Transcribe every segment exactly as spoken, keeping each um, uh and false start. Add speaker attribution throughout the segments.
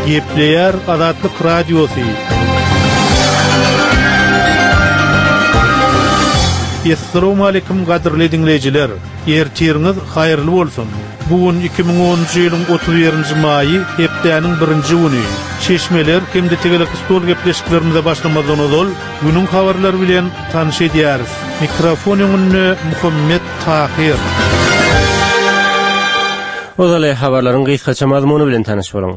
Speaker 1: Gepleýär Azatlyk Radiosy. Essalamu aleýkum gadyrly diňleýjiler. Ertiriňiz haýyrly bolsun. Bu gün iki müň onunjy ýylyň otuz birinji maýy, hepdäniň birinji güni. Çeşmeler hem-de tegelek stol gepleşiklerimize başlamazdan ozal, günüň habarlary bilen tanyş edýäris. Mikrofon öňünde Muhammet Tahyr.
Speaker 2: Ozaly habarlaryň gysgaça mazmuny bilen tanyş boluň.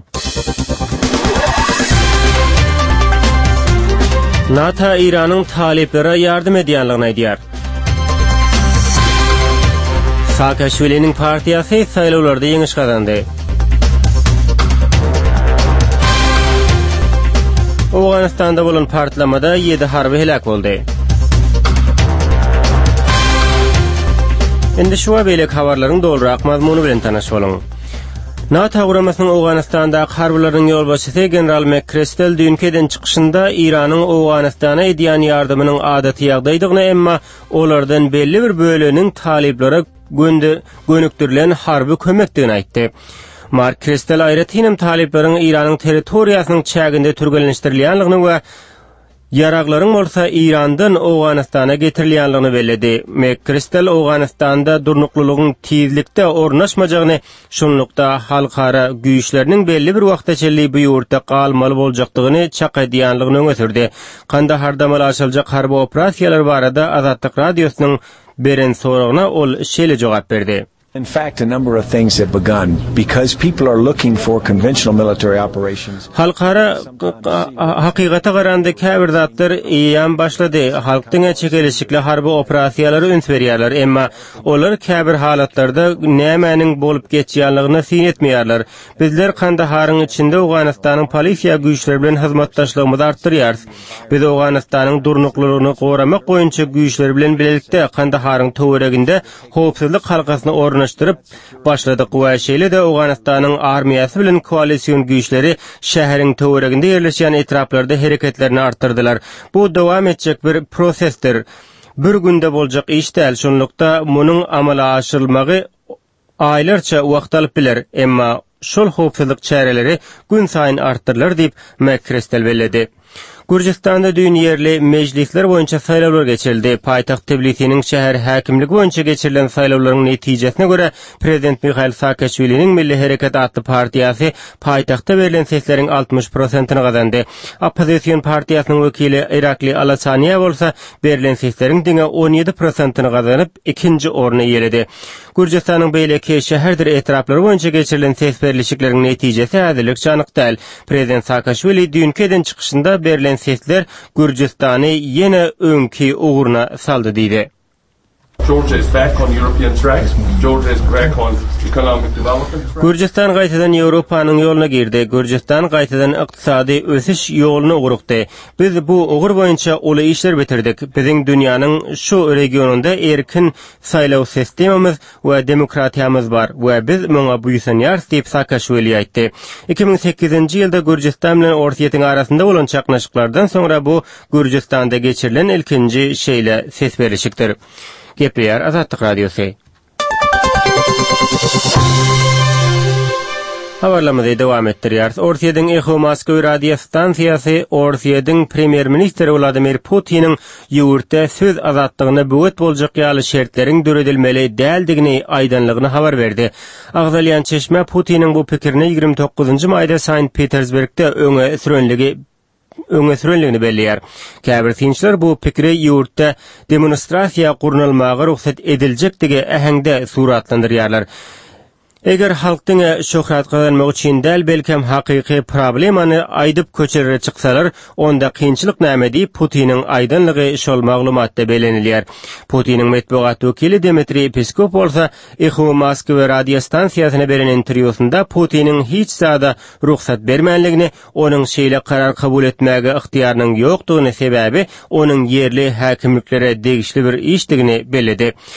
Speaker 2: NATO Eýranyň talyplara ýardam edýänligini aýdýar. Saakaşwiliniň partiýasy saýlawlarda ýeňiş gazandy. Owganystanda bolan partlamada ýedi harby heläk boldy. Indi şu we beýleki habarlaryň dolurak mazmuny bilen tanyş boluň. NATO guramasynyň Owganystandaky harbylarynyň ýolbaşçysy general McChrystal düýnki eden çykyşynda Eýranyň Owganystana edýän ýardamynyň adaty ýagdaýdygyny, emma olardan belli bir böleginiň talyplara gönükdirilen harby kömekdigini aýtdy. Mark Kristal aýratynam talyplaryň Eýranyň territoriýasynyň çäginde türgenleşdirilýändigini we ýaraglaryň bolsa Eýrandan Owganystana getirilýändigini belledi. McChrystal Owganystanda durnuklylygyň tizlikde ornaşmajagyny, şunlukda halkara güýçleriniň belli bir wagta çenli bu ýurtda galmaly boljakdygyny çak edýändigini öňe sürdi. Kandaharda amala aşyryljak harby operasiýalar barada Azatlyk Radiosynyň beren soragyna ol şeýle jogap berdi.
Speaker 3: In fact, a number of things have begun because people are looking for conventional military operations.
Speaker 2: Halkara hakykata garanda käbir zatlar eýýäm başlady. Halk diňe çekeleşikli harby operasiýalara üns berýärler, emma olar käbir halatlarda nämäniň bolup geçýänligine syn etmeýärler. Bizler Kandaharyň içinde Owganystanyň polisiýa güýçleri bilen hyzmatdaşlygymyzy artdyrýarys. Biz Owganystanyň durnuklylygyny goramak boýunça güýçleri bilen bilelikde Kandaharyň töwereginde howpsuzlyk halkasyny ornaşdyryp başladyk we şeýle-de Owganystanyň armiýasy bilen koalision güýçleri şäheriň töwereginde ýerleşýän etraplarda hereketlerini artdyrdylar. Bu dowam etjek bir prosesdir. Bir günde boljak iş däl, şonlukda munuň amala aşyrylmagy aýlarça wagt alyp biler, emma şol howpsuzlyk çäreleri gün saýyn artdyrylar diýip McChrystal belledi. Gürjüstanda düýn ýerli mejlisler boýunça saýlawlar geçirildi. Paýtagt Tbilisiniň şäher häkimligi boýunça geçirilen saýlawlaryň netijesine görä Prezident Mihail Saakaşwiliniň Milli Hereket atly partiýasy paýtagtda berlen sesleriň altmyş prosentini gazandy. Oppozision partiýasynyň wekili Irakli Alasaniýa bolsa berlen sesleriň diňe on ýedi prosentini gazanyp, ikinji orny eýeledi. Gürjüstanyň beýleki şäherdir etraplary boýunça geçirilen ses berlişikleriň netijesi häzirlikçe anyk däl. Prezident Saakaşwili düýnki eden çykyşynda berlen sesler Gürjüstany ýene öňki ugruna saldy diýdi.
Speaker 4: Georgia is back on European track. Georgia is back on economic development track.
Speaker 2: Gürjüstan gaýtadan Ýewropanyň ýoluna girdi. Gürjüstan gaýtadan ykdysady ösüş ýoluna ugrukdy. Biz bu ugur boýunça uly işler bitirdik. Biziň dünýäniň şu regionynda erkin saýlaw sistemamyz we demokratiýamyz bar we biz muňa buýsanýarys diýip Saakaşwili aýtdy. Iki müň sekizinji ýylda Gürjüstan bilen Orsýetiň arasynda bolan çaknyşyklardan soňra bu Gürjüstanda geçirilen ilkinji şeýle ses berlişikdir. Gepleýär Azatlyk Radiosy. Habarlarymyzy dowam etdirýäris. Orsýetiň Eho Moskwy radio stansiýasy Orsýetiň premýer-ministri Wladimir Putiniň ýurtda söz azatlygyna böwet boljak ýaly şertleriň döredilmeli däldigini aýdanlygyny habar berdi. Agzalýan çeşme Putiniň bu pikirini ýigrimi dokuzynjy maýda Sankt Petersburgda öňe sürenligi öňe sürenligini belleýär. Käbir synçylar bu pikiri ýurtda demonstrasiýa gurnalmaga rugsat ediljekdigi äheňde suratlandyrýarlar. Eger halk diňe şöhrat gazanmak üçin däl, belkem hakyky problemany aýdyp köçelere çyksalar, onda kynçylyk näme diýip Putiniň aýdanlygy şol maglumatda bellenilýär. Putiniň metbugat wekili Dmitriý Peskov bolsa Eho Moskwa radio stansiýasyna beren interwýusynda Putiniň hiç zada rugsat bermänligini, onuň şeýle karar kabul etmäge ygtyýarynyň ýokdugyny, sebäbi onuň ýerli häkimliklere degişli bir işdigini belledi.